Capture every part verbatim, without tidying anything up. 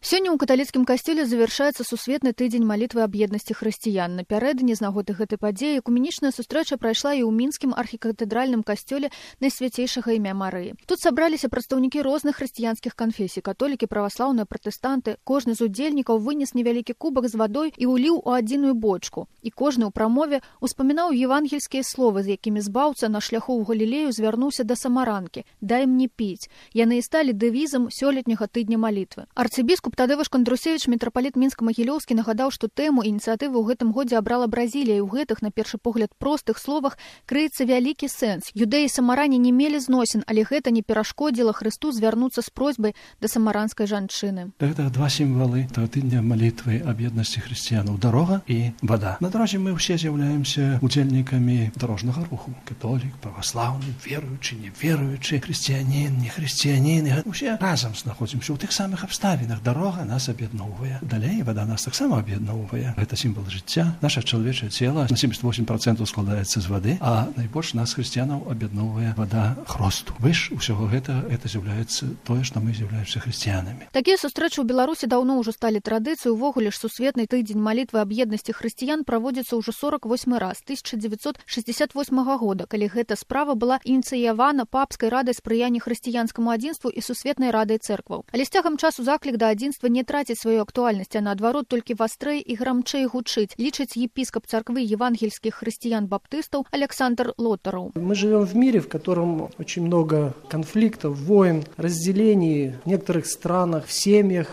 Сёння ў каталіцкім касцёле завяршаецца сусветны тыдзень малітвы аб еднасці хрысціян. Напярэдадні з нагоды гэтай падзеі экуменічная сустрэча прайшла і ў мінскім архікатэдральным касцёле Найсвяцейшага імя Марыі. Тут сабраліся прадстаўнікі розных хрысціянскіх канфесій, католікі, праваслаўныя, пратэстанты. Кожны з удзельнікаў вынес невялікі кубак з вадой і ўліў у адзіную бочку. І кожны ў прамове успамінаў евангельскія словы, з якімі збаўца на шляху ў Галілею звярнуўся да самаранкі: «Дай мне піць». Яны і сталі дэвізам сёлетняга тыдня малітвы. Арцыбіскуп Тадеуш Кандрусевич, мітрапаліт Мінска-Магілёўскі, нагадаў, што тэму ініцыятывы ў гэтым годзе абрала Бразілія, і ў гэтых, на першы погляд, простых словах крыецца вялікі сэнс. Юдэі і самарані не мелі зносін, але гэта не перашкодзіла Хрысту звярнуцца з просьбай да самаранскай жанчыны. Гэта два сімвалы того тыдня малітвы аб еднасці хрысціянаў: дарога і вада. На дарозе мы ўсе з'яўляемся удзельнікамі дарожнага руху. Католік, праваслаўны, веруючы, неверуючы, хрысціянін, не хрысціянін. Усе разам знаходзімся ў тых самых абставінах. Дарога нас аб'ядноўвае. Далей вада нас таксама аб'ядноўвае. Гэта сімвал жыцця. Наша чалавечае цела на семьдесят восемь процентов складаецца з вады, а найбольш нас, хрысціянаў, аб'ядноўвае вада хросту. Выш усяго гэта это з'яўляецца тое, што мы з'яўляемся хрысціянамі. Такія сустрэчы ў Беларусі даўно ўжо сталі традыцыяй. Увогуле ж сусветны тыдзень малітвы аб еднасці хрысціян праводзіцца ўжо сорок восьмы раз, тысяча девятьсот шестьдесят восьмага года, калі гэта справа была ініцыявана папскай радай спрыяння хрысціянскаму адзінству і сусветнай радай цэркваў. Але з цягам часу заклік да адзінства не траціць сваю актуальнасць, а наадварот толькі вастрэй і грамчэй гучыць, лічыць епіскап царквы евангельских христиан-баптистов Александр Лотаров. Мы живем в мире, в котором очень много конфликтов, войн, разделений в некоторых странах, в семьях.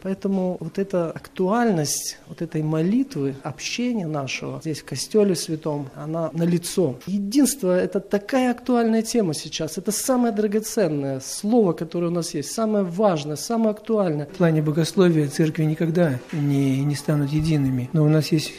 Поэтому вот эта актуальность вот этой молитвы, общения нашего здесь в Костеле Святом, она налицо. Единство — это такая актуальная тема сейчас. Это самое драгоценное слово, которое у нас есть, самое важное, самое актуальное. В плане богословия церкви никогда не, не станут едиными. Но у нас есть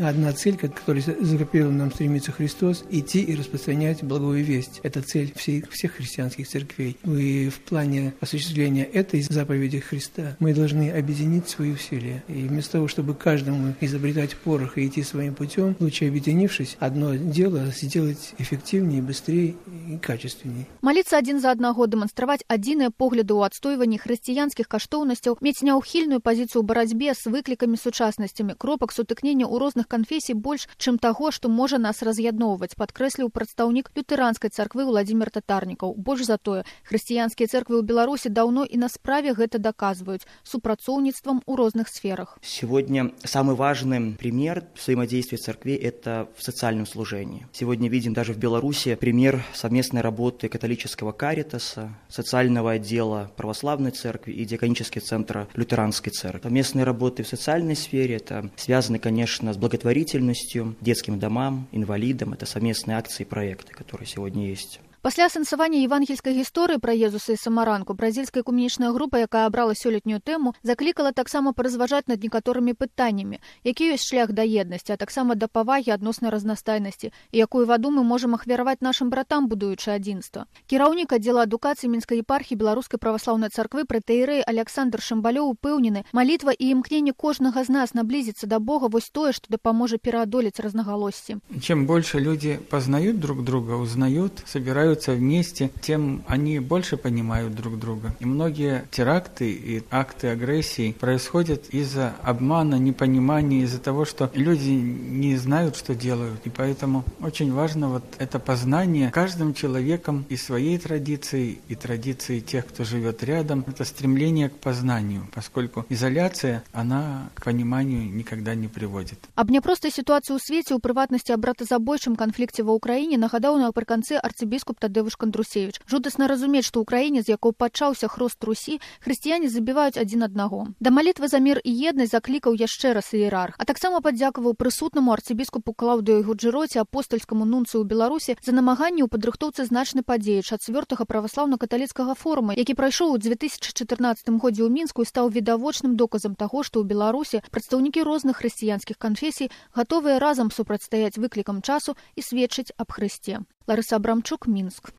одна цель, к которой за которой нам стремится Христос: идти и распространять благую весть. Это цель всей, всех христианских церквей. И в плане осуществления этой заповеди Христа мы должны объединить свои усилия. И вместо того, чтобы каждому изобретать порох и идти своим путем, лучше, объединившись, одно дело сделать эффективнее, быстрее и качественнее. Молиться один за одного, демонстраваць адзіныя погляды ў адстойванні хрысціянскіх каштоўнасцяў, мець няўхільную пазіцыю ў барацьбе з выклікамі сучаснасцямі, кропак сутыкнення ў розных канфесій больш, чым таго, што можа нас раз'ядноўваць, падкрэсліў прадстаўнік лютэранскай царквы Владзімир Татарнікаў. Больш за тое, хрысціянскія церквы ў Беларусі даўно і на справе гэта даказваюць супрацоўніцтвам у розных сферах. Сегодня самый важный пример взаимодействия церквей — это в социальном служении. Сегодня видим даже в Беларуси пример совместной работы католического каритаса, социального отдела православной церкви и диаконического центра лютеранской церкви. Совместные работы в социальной сфере — это связаны, конечно, с благотворительностью, детским домам, инвалидам. Это совместные акции и проекты, которые сегодня есть. Пасля асэнсавання евангельскай гісторыі пра Езуса і самаранку, бразільская экуменічная група, якая абрала сёлетнюю тэму, заклікала таксама паразважаць над некаторымі пытаннямі, які ёсць шлях да еднасці, а таксама да павагі адносна разнастайнасці, і якую ваду мы можам ахвяраваць нашым братам, будуючы адзінства. Кіраўнік аддзела адукацыі мінскай епархіі Беларускай праваслаўнай царквы пратэірэй Александр Шамбалёў упэўнены: малітва і імкненне кожнага з нас наблизіцца да Бога — вось тое, што дапаможа пераадолець разнагалоссі. Чем больше люди познают друг друга, узнают, собирают вместе, тем они больше понимают друг друга. И многие теракты и акты агрессии происходят из-за обмана, непонимания, из-за того, что люди не знают, что делают. И поэтому очень важно вот это познание каждым человеком и своей традиции, и традиции тех, кто живет рядом. Это стремление к познанию, поскольку изоляция, она к пониманию никогда не приводит. Аб няпростай сітуацыі ў свеце, у прыватнасці аб братазабойчым канфлікце ва ўкраіне, нагадаў напрыканцы арцыбіскуп Тадеуш Кандрусевич. Жудасна разумець, што ў краіне, з якой пачаўся хрост Русі, хрысціяне забіваюць адзін аднаго. Да малітвы за мір і еднасць заклікаў яшчэ раз іерарх, а таксама падзякаваў прысутнаму арцыбіскупу Клаўдыю Гуджыроце, апостольскаму нунцыю ў Беларусі, за намаганне ў падрыхтоўцы значнай падзеі чацвёртага праваслаўна-каталіцкага форума, які прайшоў у дзве тысячы чатырнаццатым годзе ў Мінску і стаў відавочным доказам таго, што ў Беларусі прадстаўнікі розных хрысціянскіх канфесій гатовыя разам супрацьстаяць выклікам часу і сведчыць аб Хрысце. Ларыса Абрамчук, Мінск.